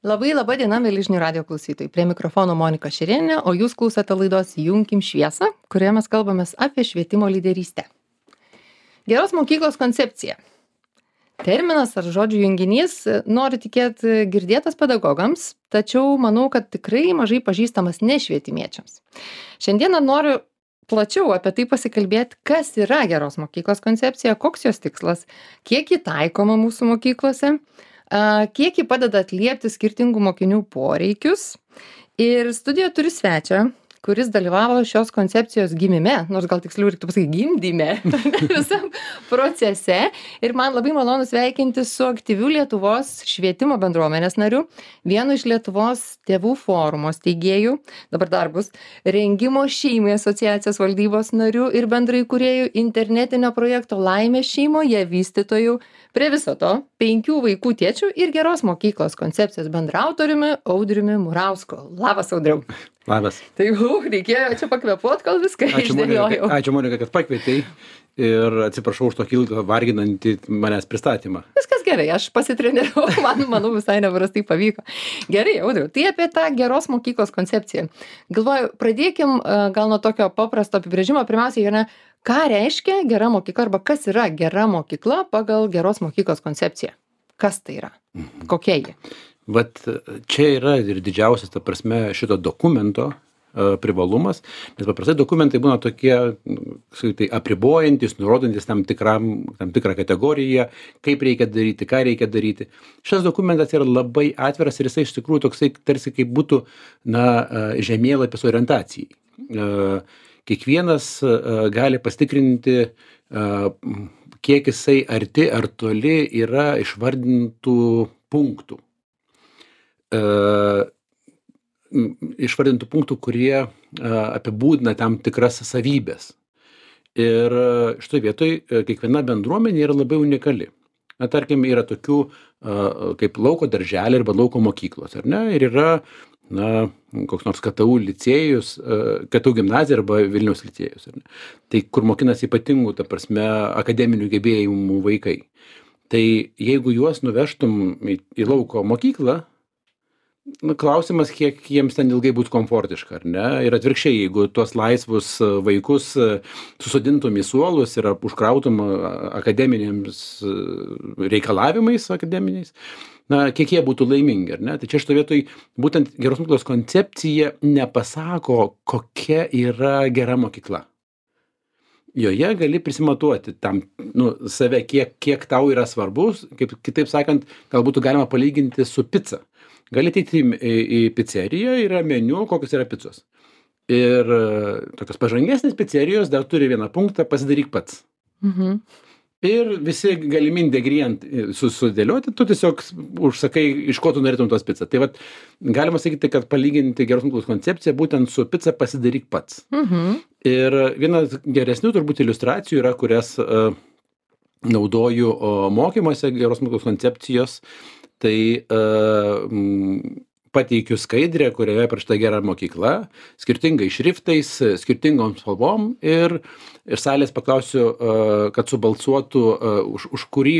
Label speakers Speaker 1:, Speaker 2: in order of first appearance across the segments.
Speaker 1: Labai laba diena, mėly žinių radio klausytojai. Prie mikrofono Monika Šerėnė, o jūs klausote laidos Junkim šviesą, kurioje mes kalbamės apie švietimo lyderystę. Geros mokyklos koncepcija. Terminas ar žodžių junginys, noriu tikėti, girdėtas pedagogams, tačiau manau, kad tikrai mažai pažįstamas nešvietimiečiams. Šiandieną noriu plačiau apie tai pasikalbėti, kas yra geros mokyklos koncepcija, koks jos tikslas, kiek ji taikoma mūsų mokyklose, kiek ji padeda atliepti skirtingų mokinių poreikius. Ir studijoje turiu svečią, kuris dalyvavo šios koncepcijos gimime, nors gal tiksliau reiktų pasakyti gimdyme, visam procese. Ir man labai malonu sveikinti su aktyviu Lietuvos švietimo bendruomenės nariu, vienu iš Lietuvos tėvų forumo steigėjų, dabar dar bus Rengimo šeimai asociacijos valdybos nariu ir bendraįkūrėjų internetinio projekto Laimė šeimoje vystytojų, prie viso to 5 vaikų tėčių ir geros mokyklos koncepcijos bendraautoriumi Audriumi Murausku. Labas, Audriau.
Speaker 2: Labas.
Speaker 1: Tai reikėjo čia pakvėpuot, kol viską išdėliojau.
Speaker 2: Ačiū, Monika, kad pakvietei ir atsiprašau už tokį ilgą varginantį manęs pristatymą.
Speaker 1: Viskas gerai, aš pasitreniravau, manau, visai neprastai pavyko. Gerai, Audriau, tai apie tą geros mokyklos koncepciją. Galvoju, pradėkim gal nuo tokio paprasto apibrėžimo. Pirmiausia, ką reiškia gera mokykla arba kas yra gera mokykla pagal geros mokyklos koncepciją? Kas tai yra? Kokia ji?
Speaker 2: Vat čia yra ir didžiausias, ta prasme, šito dokumento privalumas, nes paprastai dokumentai būna tokie tai apribojantis, nurodantis tam tikrą kategoriją, kaip reikia daryti, ką reikia daryti. Šis dokumentas yra labai atviras ir jisai iš tikrųjų toksai tarsi kaip būtų žemėlapis orientacijai. Kiekvienas gali pasitikrinti, kiek jisai arti ar toli yra išvardintų punktų. Išvardintų punktų, kurie apibūdina tam tikras savybės. Ir šitoj vietoj kiekviena bendruomenė yra labai unikali. Tarkim, yra tokių kaip lauko darželiai arba lauko mokyklos, ar ne? Ir yra koks nors KTU licėjus, KTU gimnazija arba Vilniaus licėjus, ar ne? Tai kur mokinasi ypatingų, ta prasme, akademinių gebėjimų vaikai. Tai jeigu juos nuvežtum į lauko mokyklą, klausimas, kiek jiems ten ilgai būtų komfortiška, ar ne? Ir atvirkščiai, jeigu tuos laisvus vaikus susodintum į suolus ir užkrautum akademiniams reikalavimais akademiniais, kiek jie būtų laimingi, ar ne? Tai čia šitoj vietoj būtent geros mokyklos koncepcija nepasako, kokia yra gera mokykla. Joje gali prisimatuoti save, kiek tau yra svarbus, kaip kitaip sakant, gal būtų galima palyginti su pica. Gali ateiti į pizzeriją, yra meniu, kokios yra picos. Ir tokios pažangesnės pizzerijos dar turi vieną punktą, pasidaryk pats.
Speaker 1: Mhm.
Speaker 2: Ir visi galimi ingredientai sudėlioti, tu tiesiog užsakai, iš ko tu norėtum tos pizzą. Tai vat, galima sakyti, kad palyginti geros mokyklos koncepciją būtent su pizza pasidaryk pats.
Speaker 1: Mhm.
Speaker 2: Ir vienas geresnių turbūt iliustracijų yra, kurias naudoju mokymuose geros mokyklos koncepcijos. Tai pateikiu skaidrę, kurioje parašyta gera mokykla, skirtingais šriftais, skirtingom spalvom ir salės paklausiu, kad subalsuotų, už kurį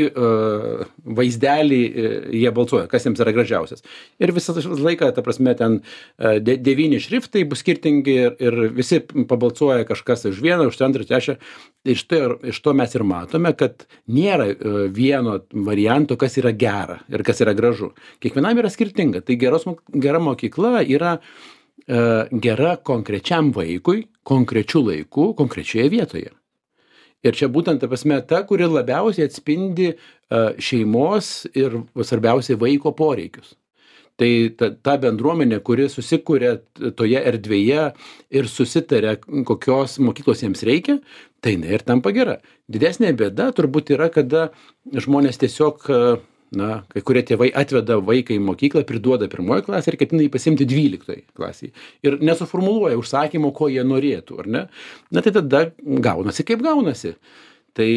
Speaker 2: vaizdelį jie balsuoja, kas jiems yra gražiausias. Ir visą laiką, ta prasme, ten 9 šriftai bus skirtingi ir visi pabalsuoja kažkas už vieną, už antrą, trečią. Iš to mes ir matome, kad nėra vieno varianto, kas yra gera ir kas yra gražu. Kiekvienam yra skirtinga. Tai gera mokykla yra gera konkrečiam vaikui, konkrečiu laiku, konkrečioje vietoje. Ir čia būtent, ta prasme, ta, kuri labiausiai atspindi šeimos ir svarbiausiai vaiko poreikius. Tai ta bendruomenė, kuri susikuria toje erdvėje ir susitaria, kokios mokyklos jiems reikia, tai ir tampa gera. Didesnė bėda turbūt yra, kada žmonės tiesiog, kai kurie tėvai atveda vaiką į mokyklą, priduoda 1 klasę ir ketina jį pasiimti 12 klasėje. Ir nesuformuluoja užsakymo, ko jie norėtų, ar ne? Tai tada gaunasi kaip gaunasi. Tai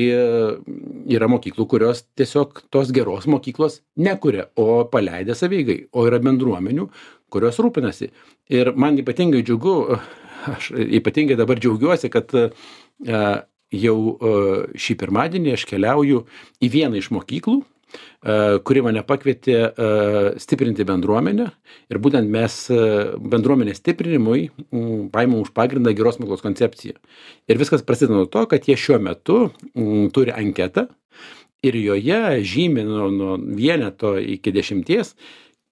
Speaker 2: yra mokyklų, kurios tiesiog tos geros mokyklos nekuria, o paleidė savieigai, o yra bendruomenių, kurios rūpinasi. Ir man ypatingai džiugu, aš ypatingai dabar džiaugiuosi, kad jau šį pirmadienį aš keliauju į vieną iš mokyklų, kuri mane pakvietė stiprinti bendruomenę ir būtent mes bendruomenės stiprinimui paimam už pagrindą geros mokyklos koncepciją. Ir viskas prasideda nuo to, kad jie šiuo metu turi anketą ir joje žymi nuo 1 iki 10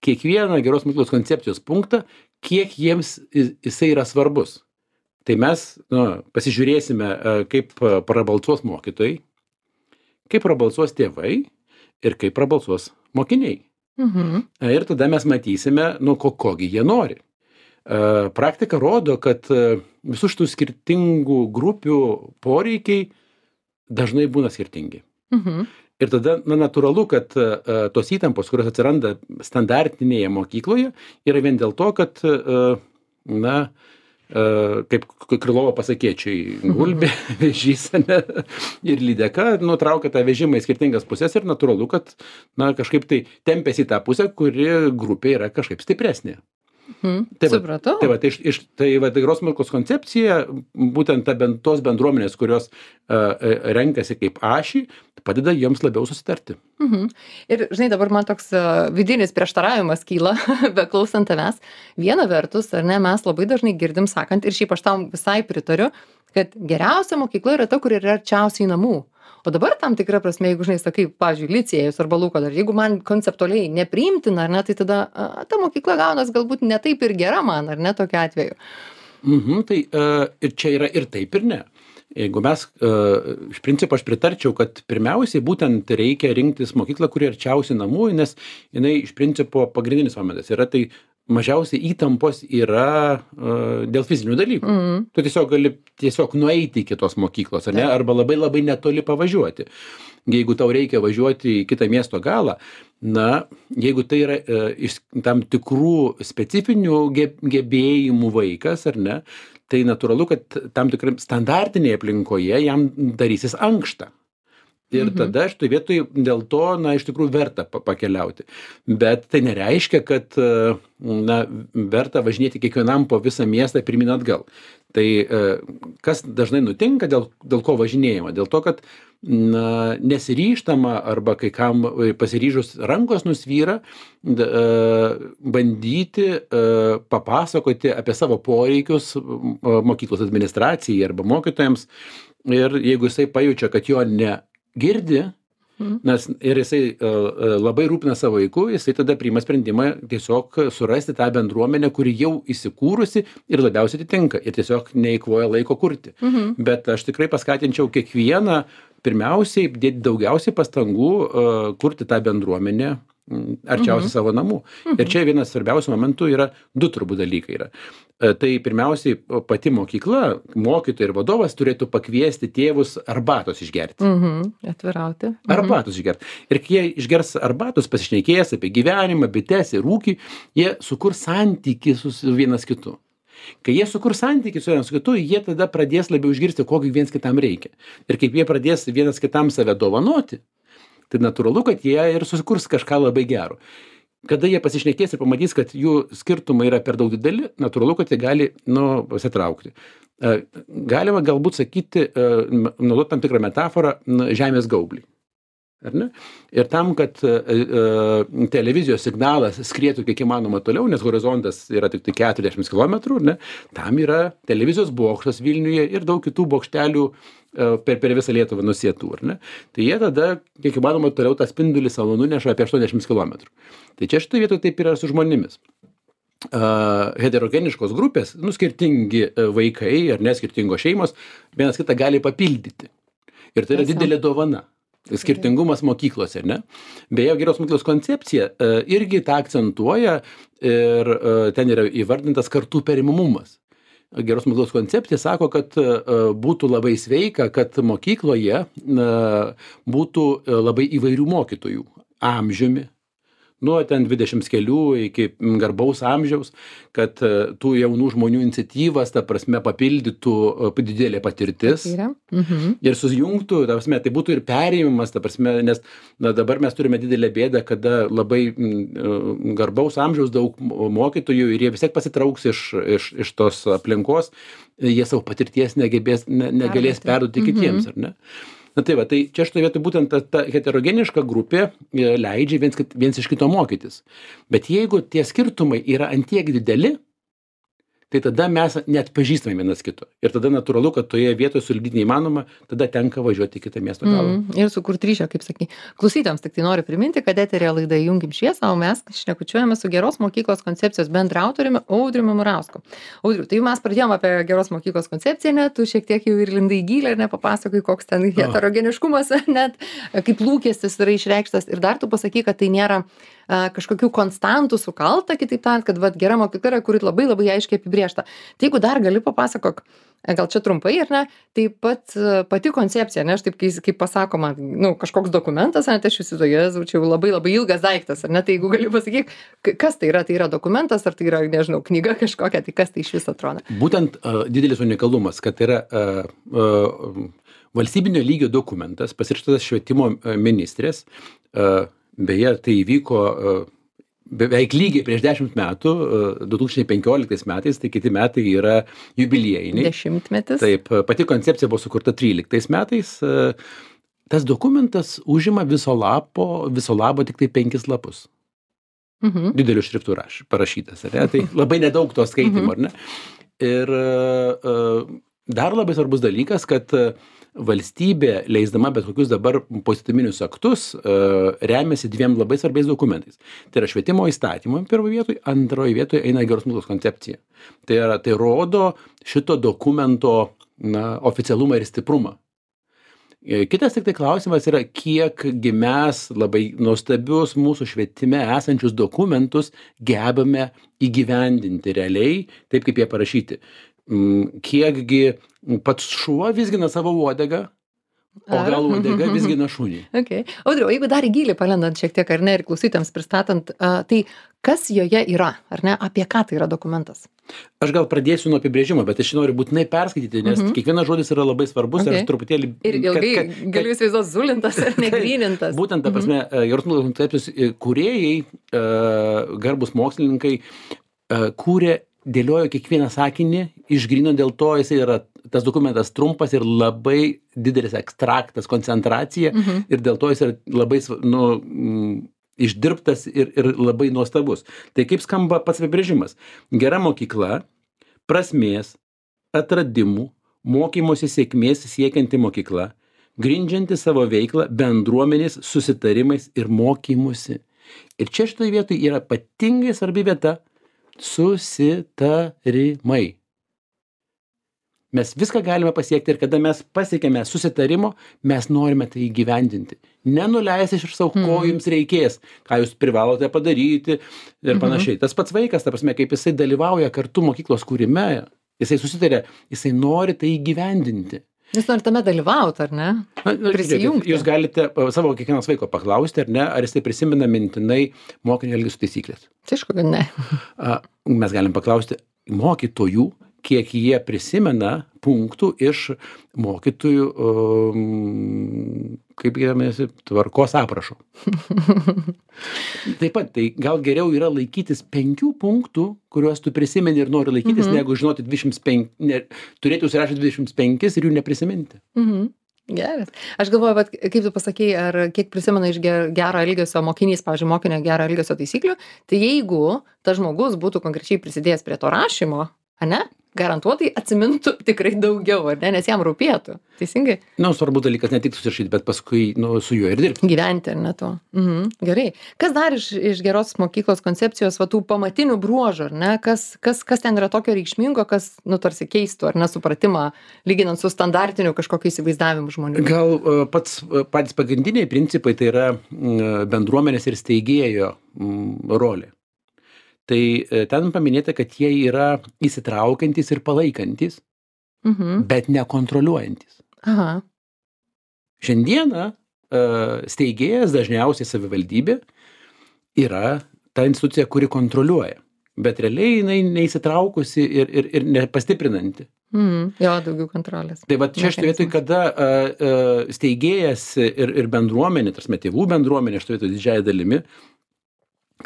Speaker 2: kiekvieną geros mokyklos koncepcijos punktą, kiek jiems jisai yra svarbus. Tai mes pasižiūrėsime, kaip prabalsuos mokytojai, kaip prabalsuos tėvai ir kaip prabalsuos mokiniai. Ir tada mes matysime, kogi jie nori. Praktika rodo, kad visų šitų skirtingų grupių poreikiai dažnai būna skirtingi. Ir tada natūralu, kad tos įtampos, kurios atsiranda standartinėje mokykloje, yra vien dėl to, kad, kaip Krylovo pasakėčiai, gulbė, vėžys ir lydeka nutraukia tą vežimą į skirtingas pusės ir natūralu, kad kažkaip tai tempėsi į tą pusę, kuri grupė yra kažkaip stipresnė.
Speaker 1: Supratau.
Speaker 2: Tai geros mokyklos koncepcija, būtent tos bendruomenės, kurios renkasi kaip ašį, padeda jiems labiau susitarti.
Speaker 1: Ir, žinai, dabar man toks vidinis prieštaravimas kyla, beklausant tavęs. Viena vertus, ar ne, mes labai dažnai girdim sakant, ir šiaip aš tam visai pritariu, kad geriausia mokykla yra ta, kur yra arčiausiai namų. O dabar tam tikra prasme, jeigu, žinai, sakai, pavyzdžiui, licėjus arba Luko dar, jeigu man konceptualiai nepriimtina, ar ne, tai tada ta mokykla gaunas galbūt ne taip ir gera man, ar ne, tokiu atveju.
Speaker 2: Tai ir čia yra ir taip ir ne. Jeigu mes, iš principo aš pritarčiau, kad pirmiausiai būtent reikia rinktis mokyklą, kuri arčiausiai namų, nes jinai iš principo pagrindinis momentas yra tai mažiausiai įtampos yra dėl fizinių dalykų. Tu tiesiog gali nueiti iki tos mokyklos, ar ne? Arba labai labai netoli pavažiuoti. Jeigu tau reikia važiuoti į kitą miesto galą, jeigu tai yra iš tam tikrų specifinių gebėjimų vaikas, ar ne, tai natūralu, kad tam tikrai standartinėje aplinkoje jam darysis ankšta. Ir tada šitoj vietoj dėl to, iš tikrųjų verta pakeliauti. Bet tai nereiškia, kad verta važinėti kiekvienam po visą miestą pirmyn atgal. Tai kas dažnai nutinka, dėl ko važinėjama? Dėl to, kad nesiryžtama arba kai kam pasiryžus rankos nusvyra, bandyti papasakoti apie savo poreikius mokyklos administracijai arba mokytojams. Ir jeigu jisai pajaučia, kad jo negirdi, ir jisai labai rūpina savo vaiku, jisai tada priima sprendimą tiesiog surasti tą bendruomenę, kuri jau įsikūrusi ir labiausiai atitinka ir tiesiog neįkvoja laiko kurti. Bet aš tikrai paskatinčiau kiekvieną pirmiausiai dėti daugiausiai pastangų kurti tą bendruomenę arčiausiai savo namų. Ir čia vienas svarbiausių momentų yra 2 turbūt dalykai yra. Tai pirmiausiai pati mokykla, mokytojai ir vadovas turėtų pakviesti tėvus arbatos išgerti.
Speaker 1: Atvirauti.
Speaker 2: Arbatos išgerti. Ir kai jie išgers arbatos, pasišnekės apie gyvenimą, bites ir ūkį, jie sukurs santykį su vienas kitu. Kai jie sukurs santykį su vienas kitu, jie tada pradės labiau išgirsti, kokį viens kitam reikia. Ir kaip jie pradės vienas kitam save dovanoti, tai natūralu, kad jie ir susikurs kažką labai gero. Kada jie pasišnekės ir pamatys, kad jų skirtumai yra per daug dideli, natūralu, kad jie gali pasitraukti. Galima galbūt sakyti, naudoti tam tikrą metaforą, žemės gaublį. Ar ne? Ir tam, kad televizijos signalas skrietų kiek įmanoma toliau, nes horizontas yra tik 40 km, ne? Tam yra televizijos bokštas Vilniuje ir daug kitų bokštelių per visą Lietuvą nusėtų. Tai jie tada kiek įmanoma toliau tą spindulį savo nuneša apie 80 km. Tai čia šitoje vietoje taip yra su žmonėmis. Heterogeniškos grupės, skirtingi vaikai ar neskirtingos šeimos, vienas kitą gali papildyti. Ir tai yra didelė dovana. Skirtingumas mokyklose, ar ne? Beje, geros mokyklos koncepcija irgi tą akcentuoja ir ten yra įvardintas kartų perimamumas. Geros mokyklos koncepcija sako, kad būtų labai sveika, kad mokykloje būtų labai įvairių mokytojų amžiumi, nuo ten 20 kelių iki garbaus amžiaus, kad tų jaunų žmonių iniciatyvas, ta prasme, papildytų didelė patirtis ir susijungtų, ta prasme, tai būtų ir perėjimas, ta prasme, nes dabar mes turime didelę bėdą, kada labai garbaus amžiaus daug mokytojų ir jie vis tiek pasitrauks iš tos aplinkos, jie savo patirties negalės perduoti kitiems, ar ne? Na tai va, tai čia šitoje vietoje būtent ta heterogeniška grupė leidžia viens iš kito mokytis. Bet jeigu tie skirtumai yra antiek dideli, tai tada mes neatpažįstame vienas kito. Ir tada natūralu, kad toje vietoje sulipdyti neįmanoma, tada tenka važiuoti į kitą miesto galą.
Speaker 1: Ir sukurti ryšio, kaip sakai. Klausytėms tik tai noriu priminti, kad eterėje laida Junkim šviesą, o mes šnekučiuojame su geros mokyklos koncepcijos bendraautoriumi Audriumi Murausku. Audriu, tai mes pradėjome apie geros mokyklos koncepciją, net tu šiek tiek jau ir lindai gilę ir nepapasakai, koks ten heterogeniškumas, net kaip lūkestis yra išreikštas. Ir dar tu pasakai, kad tai nėra kažkokių konstantų sukalta, kitaip tariant, kad vat, gera mokykla yra, kuri labai labai aiškiai apibriešta. Tai jeigu dar gali papasakok, gal čia trumpai ar ne, taip pat pati koncepcija, ne, aš taip kaip pasakoma, nu, kažkoks dokumentas, ne, tai aš įsivaizduoju, čia jau labai labai ilgas daiktas, ar ne, tai jeigu gali pasakyk, kas tai yra dokumentas, ar tai yra, nežinau, knyga kažkokia, tai kas tai iš viso atrodo.
Speaker 2: Būtent didelis unikalumas, kad yra valstybinio lygio dokumentas, pasirašytas švietimo ministrės, beje, tai įvyko beveik lygiai prieš 10 metų, 2015 metais, tai kiti metai yra jubiliejiniai.
Speaker 1: 10-metis.
Speaker 2: Taip, pati koncepcija buvo sukurta 13 metais. Tas dokumentas užima viso labo tik tai 5 lapus. Dideliu šriftu parašytas, ar ne? Tai labai nedaug to skaitimo, ar ne? Ir dar labai svarbus dalykas, kad valstybė, leisdama bet kokius dabar poįstatyminius aktus, remiasi 2 labai svarbiais dokumentais. Tai yra švietimo įstatymų pirmoje vietoje, antroje vietoje eina geros mokyklos koncepcija. Tai rodo šito dokumento oficialumą ir stiprumą. Kitas tik tai klausimas yra, kiekgi mes labai nuostabius mūsų švietime esančius dokumentus gebame įgyvendinti realiai, taip kaip jie parašyti. Kiekgi pats šuo vizgina savo uodegą, o gal uodega vizgina šunį.
Speaker 1: Okay. Audriau, jeigu dar į gilį palendant šiek tiek, ar ne, ir klausytėms pristatant, tai kas joje yra, ar ne, apie ką tai yra dokumentas?
Speaker 2: Aš gal pradėsiu nuo apibrėžimo, bet aš noriu būtinai perskaityti, nes kiekvienas žodis yra labai svarbus ir aš truputėlį...
Speaker 1: Ir ilgai galiu įsivaizduoti zulintas ar negrynintas.
Speaker 2: Būtent, ta prasme, geros mokyklos koncepcijos kūrėjai, garbūs mokslininkai, kūrė, dėliojo kiekvieną sakinį, išgrino dėl to, jisai yra, tas dokumentas trumpas ir labai didelis ekstraktas, koncentracija ir dėl to jis yra labai, išdirbtas ir labai nuostabus. Tai kaip skamba pats apibrėžimas? Gera mokykla, prasmės, atradimų, mokymosi sėkmės siekianti mokykla, grindžianti savo veiklą bendruomenės susitarimais ir mokymusi. Ir čia šitoje vietoje yra ypatingai svarbi vieta susitarimai. Mes viską galime pasiekti ir kada mes pasiekėme susitarimo, mes norime tai įgyvendinti. Nenuleisti iš savo, ko jums reikės, ką jūs privalote padaryti ir panašiai. Tas pats vaikas, ta prasme, kaip jisai dalyvauja kartu mokyklos kūrime, jisai susitarė, jisai nori tai įgyvendinti.
Speaker 1: Jūs norite tame dalyvauti, ar ne? Prisijungti.
Speaker 2: Jūs galite savo kiekvienas vaiko paklausti, ar ne, ar jisai prisimena mintinai mokinio elgesio taisyklės.
Speaker 1: Tai aišku, kad ne.
Speaker 2: Mes galim paklausti mokytojų, kiek jie prisimena punktų iš mokytojų, kaip gyvenasi, tvarkos aprašo. Taip pat, tai gal geriau yra laikytis 5 punktų, kuriuos tu prisimeni ir nori laikytis, negu žinoti 25, turėti užsirašyti 25 ir jų neprisiminti.
Speaker 1: Geras. Aš galvoju, bet kaip tu pasakei, ar kiek prisimena iš gero elgesio mokinys, pavyzdžiui, mokinio gero elgesio taisyklių, tai jeigu tas žmogus būtų konkrečiai prisidėjęs prie to rašymo, ane, garantuotai atsimintų tikrai daugiau, ar ne, nes jam rūpėtų. Teisingai?
Speaker 2: Svarbus dalykas ne tik susirašyti, bet paskui su juo ir dirbti.
Speaker 1: Gyventi, ar ne to. Gerai. Kas dar iš geros mokyklos koncepcijos, tų pamatinių bruožų, ar ne? Kas ten yra tokio reikšmingo, kas, tarsi keistų, ar nesupratimą, lyginant su standartiniu kažkokiu įsivaizdavimu žmonių?
Speaker 2: Gal patys pagrindiniai principai tai yra bendruomenės ir steigėjo rolė. Tai ten paminėta, kad jie yra įsitraukiantys ir palaikantis, bet nekontroliuojantis. Šiandieną steigėjas, dažniausiai savivaldybė, yra ta institucija, kuri kontroliuoja, bet realiai jinai neįsitraukusi ir nepastiprinanti.
Speaker 1: Jo, daugiau kontrolės.
Speaker 2: Tai va čia šitoje vietoje, kada steigėjas ir bendruomenė, tarsi tėvų bendruomenė, šitoje vietoje didžiąją dalimi,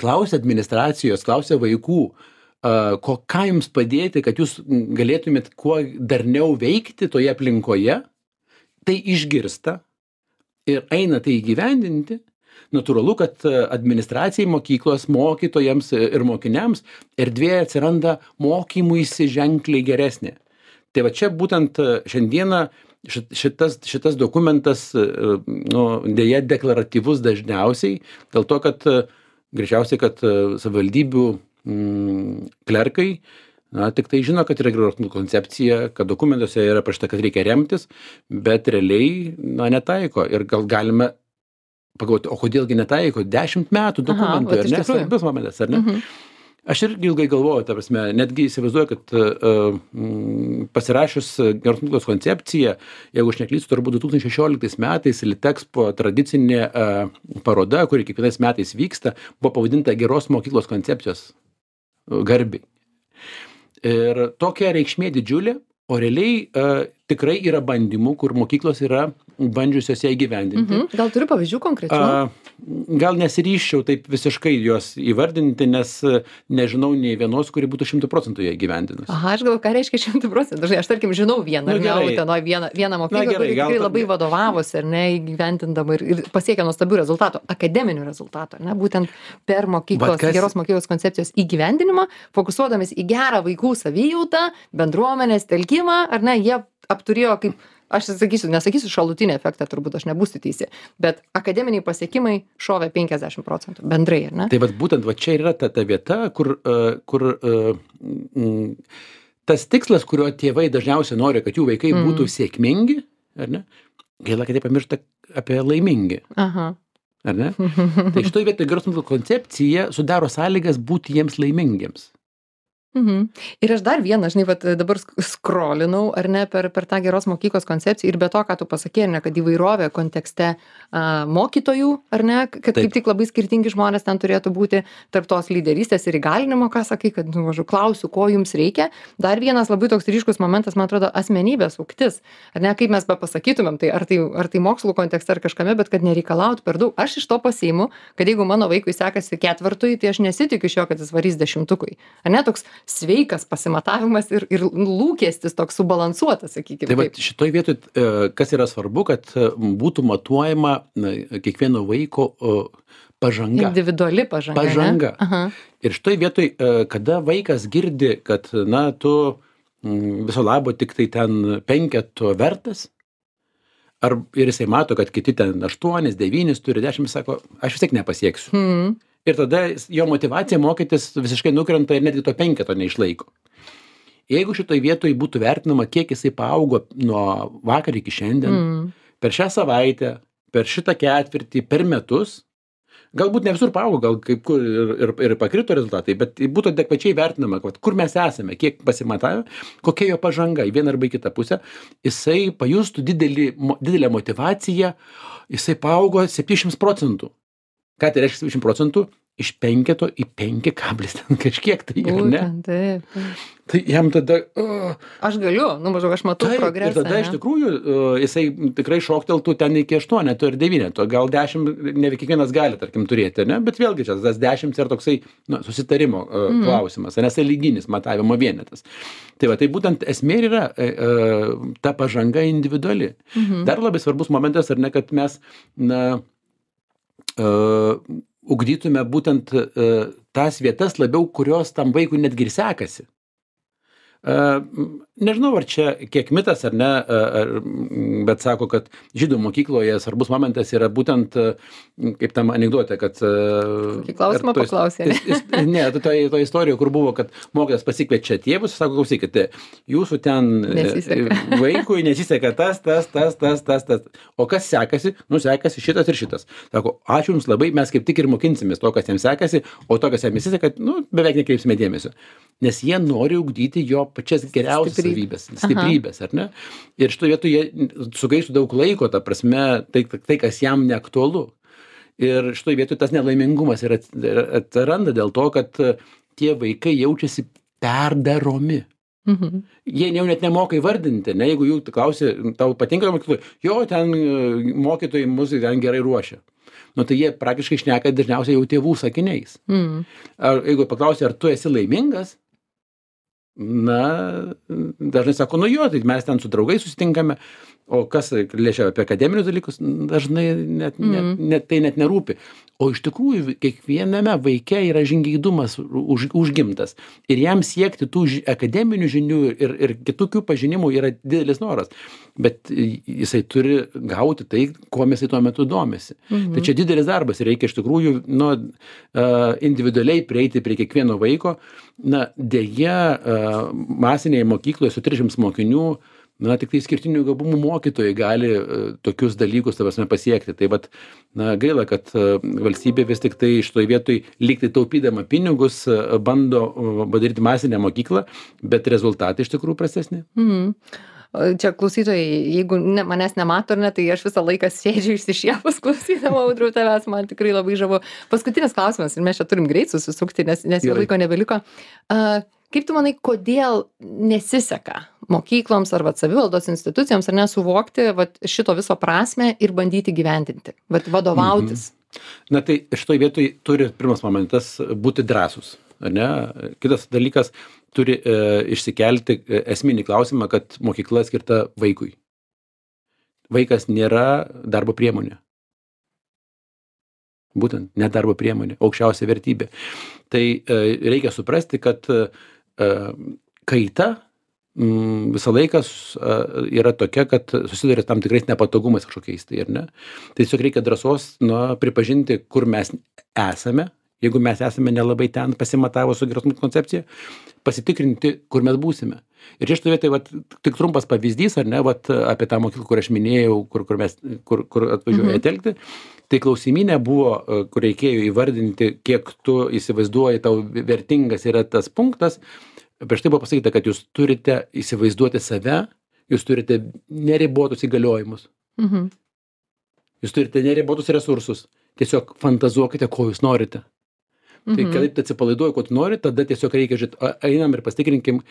Speaker 2: klausia administracijos, klausia vaikų, ką jums padėti, kad jūs galėtumėt kuo darniau veikti toje aplinkoje, tai išgirsta, ir eina tai įgyvendinti, natūralu, kad administracijai mokyklos, mokytojams ir mokiniams erdvė atsiranda mokymuisi ženkliai geresnė. Tai va čia būtent šiandieną šitas dokumentas, dėja deklaratyvus dažniausiai, dėl to, kad greičiausiai, kad savivaldybių klerkai tik tai žino, kad yra geros mokyklos koncepcija, kad dokumentuose yra parašyta, kad reikia remtis, bet realiai netaiko. Ir gal galime pagalvoti, o kodėlgi netaiko? 10 metų dokumentų, ar ne? Svarbus momentas, ar ne? Aš irgi ilgai galvoju, ta prasme, netgi įsivaizduoju, kad pasirašius geros mokyklos koncepciją, jeigu aš neklystu, turbūt 2016 metais Litexpo tradicinė paroda, kuri kiekvienais metais vyksta, buvo pavadinta geros mokyklos koncepcijos garbiai. Ir tokia reikšmė didžiulė, o realiai tikrai yra bandymų, kur mokyklos yra bandžiusios ją įgyvendinti.
Speaker 1: Gal turi pavyzdžių konkrečių?
Speaker 2: Gal nesiryščiau taip visiškai juos įvardinti, nes nežinau nei vienos, kuri būtų 100% ją įgyvendinus.
Speaker 1: Aha, aš galvoju, ką reiškia 100%. Aš tarkim žinau vieną mokyklą, kuri tikrai labai vadovavosi, ar ne, įgyvendindama ir pasiekė nuostabių rezultatų, akademinių rezultatų, ar ne, būtent per geros mokyklos koncepcijos įgyvendinimą, fokusuodamis į gerą vaikų savijautą, bendruomenės telkimą, ar ne, jie apturėjo kaip, aš nesakysiu šalutinį efektą, turbūt aš nebūsiu teisi, bet akademiniai pasiekimai šovė 50% bendrai, ar ne?
Speaker 2: Tai būtent čia yra ta vieta, kur tas tikslas, kurio tėvai dažniausiai nori, kad jų vaikai būtų sėkmingi, ar ne? Gaila, kad jie pamiršta apie laimingi.
Speaker 1: Aha.
Speaker 2: Ar ne? Tai šitoj vietoj geros mokyklos koncepcija sudaro sąlygas būti jiems laimingiems.
Speaker 1: Ir aš dar vieną, dabar skrolinau, ar ne, per tą geros mokyklos koncepciją ir be to, ką tu pasakei, ar ne, kad įvairovė kontekste mokytojų, ar ne, kad kaip tik labai skirtingi žmonės ten turėtų būti tarp tos lyderystės ir įgalinimo, ką sakai, kad, klausiu, ko jums reikia. Dar vienas labai toks ryškus momentas, man atrodo, asmenybės ugtis, ar ne, kaip mes pasakytumėm, tai ar tai mokslų kontekste ar kažkame, bet kad nereikalautų per daug. Aš iš to pasiimu, kad jeigu mano vaikui sekasi 4, tai aš nesitikiu iš jo, kad jis varys 10. Ar ne, toks sveikas pasimatavimas ir lūkestis toks subalansuotas, sakykime.
Speaker 2: Tai šitoj vietoj, kas yra svarbu, kad būtų matuojama kiekvieno vaiko pažanga.
Speaker 1: Individuali pažanga.
Speaker 2: Ir šitoj vietoj, kada vaikas girdi, kad, tu viso labo tik tai ten 5 vertas, ir jisai mato, kad kiti ten 8, 9 turi 10, sako, aš vis tiek nepasieksiu. Ir tada jo motyvacija mokytis visiškai nukrenta ir netgi to 5 neišlaiko. Jeigu šitoj vietoj būtų vertinama, kiek jisai paaugo nuo vakar iki šiandien, per šią savaitę, per šitą ketvirtį, per metus, galbūt ne visur paaugo, gal kaip kur ir pakrito rezultatai, bet būtų adekvačiai vertinama, kur mes esame, kiek pasimatavę, kokia jo pažanga į vieną arba į kitą pusę, jisai pajustų didelę motyvaciją, jisai paaugo 700%. Ką tai reiškia 70%? Iš 5 į 5 kablis ten kažkiek tai, ar ne?
Speaker 1: Taip.
Speaker 2: Tai jam tada...
Speaker 1: Aš galiu, maždaug aš matau progresą.
Speaker 2: Ir tada iš tikrųjų jisai tikrai šokteltų ten iki 8 ir 9, gal 10 ne kiekvienas gali, tarkim, turėti, ne? Bet vėlgi čia tas 10 yra toksai susitarimo klausimas, nes tai lyginis matavimo vienetas. Tai tai būtent esmė yra ta pažanga individuali. Dar labai svarbus momentas, ar ne, kad mes, ugdytume būtent tas vietas labiau, kurios tam vaikui netgi ir sekasi. Nežinau, ar čia kiek mitas ar ne, bet sako, kad žydų mokykloje svarbus momentas yra būtent, kaip tam anekdote, kad...
Speaker 1: Kokį klausimą paklausė, ne?
Speaker 2: Ne, to istorijoje, kur buvo, kad mokytojas pasikviečia tėvus, sako, klausykite, jūsų ten vaikui nesiseka tas. O kas sekasi? Sekasi šitas ir šitas. Sako, ačiū jums labai, mes kaip tik ir mokinsimės to, kas jiems sekasi, o to, kas jiems nesiseka, beveik nekreipsime dėmesio. Nes jie nori ugdyti jo pačias geriausias savybės, stiprybės, ar ne? Ir šitoje vietoje jie sugaištų daug laiko, ta prasme, tai, kas jam neaktualu. Ir šitoje vietoje tas nelaimingumas atsiranda dėl to, kad tie vaikai jaučiasi perdaromi. Jie jau net nemoka įvardinti, ne? Jeigu jų klausia, tau patinka mokykloje, jo, ten mokytojai mus ten gerai ruošia. Tai jie praktiškai šneka dažniausiai jau tėvų sakiniais. Jeigu paklausia, ar tu esi laimingas, na, dažnai sako, nu jo, tai mes ten su draugais susitinkame, o kas liečia apie akademinius dalykus, dažnai tai net nerūpi. O iš tikrųjų, kiekviename vaike yra žingeidumas užgimtas. Ir jam siekti tų akademinių žinių ir kitokių pažinimų yra didelis noras. Bet jisai turi gauti tai, kuo mes tuo metu domisi. Tai čia didelis darbas ir reikia iš tikrųjų individualiai prieiti prie kiekvieno vaiko. Na, deja, masinėje mokykloje su 300 mokinių, na, tik tai skirtinių gabumų mokytojai gali tokius dalykus pasiekti. Tai vat, na, gaila, kad valstybė vis tik tai šitoj vietoj lyg tai taupydama pinigus bando padaryti masinę mokyklą, bet rezultatai iš tikrųjų prastesni.
Speaker 1: Čia klausytojai, jeigu manęs nemato ar ne, tai aš visą laiką sėdžiu išsišiepus klausydama, Audriau, tavęs, man tikrai labai žavu. Paskutinis klausimas, ir mes čia turim greit susisukti, nes jau laiko nebeliko. Kaip tu manai, kodėl nesiseka mokykloms ar savivaldos institucijoms ar nesuvokti šito viso prasmę ir bandyti gyvendinti, vadovautis?
Speaker 2: Na tai šitoj vietoj turi pirmas momentas būti drąsus, ar ne? Kitas dalykas turi išsikelti esminį klausimą, kad mokykla skirta vaikui. Vaikas nėra darbo priemonė. Būtent, ne darbo priemonė, aukščiausia vertybė. Tai reikia suprasti, kad kaita visą laiką yra tokia, kad susiduria tam tikrais nepatogumais kažkokiais, tai ar ne? Tai tiesiog reikia drąsos pripažinti, kur mes esame, jeigu mes esame nelabai ten pasimatavo su geros koncepcija, pasitikrinti, kur mes būsime. Ir čia šitoje vietoje tik trumpas pavyzdys, ar ne, apie tą mokyklą, kur aš minėjau, kur atvažiuoja telkti, tai klausimynė buvo, kur reikėjo įvardinti, kiek tu įsivaizduoji, tau vertingas yra tas punktas. Prieš tai buvo pasakyta, kad jūs turite įsivaizduoti save, jūs turite neribotus įgaliojimus. Jūs turite neribotus resursus. Tiesiog fantazuokite, ko jūs norite. Tai kaip atsipalaiduoju, ko tu nori, tada tiesiog reikia žiūrėti, einam ir pasitikrinkim,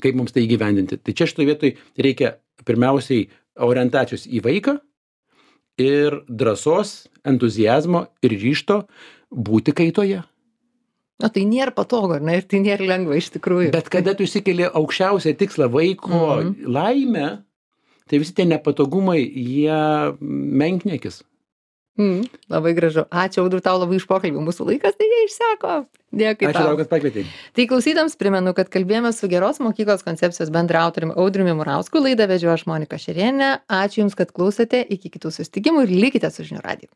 Speaker 2: kaip mums tai įgyvendinti. Tai čia šitoje vietoje reikia pirmiausiai orientacijos į vaiką ir drąsos, entuziazmo ir ryžto būti kaitoje.
Speaker 1: O tai nėra patogu, ar ne? Ir tai nėra lengva iš tikrųjų.
Speaker 2: Bet kada tu išsikeli aukščiausią tikslą vaiko laimę, tai visi tie nepatogumai, jie menkniekis.
Speaker 1: Labai gražu. Ačiū, Audriau, tau labai iš pokalbių. Mūsų laikas tai išseko. Dėkui tau.
Speaker 2: Ačiū tau, kad pakvietei.
Speaker 1: Tai klausytams primenu, kad kalbėjome su Geros mokyklos koncepcijos bendraautoriumi Audriumi Murausku. Laidą vedžiau aš, Monika Šerėnienė. Ačiū Jums, kad klausėte. Iki kitų susitikimų ir likite su žinių radiju.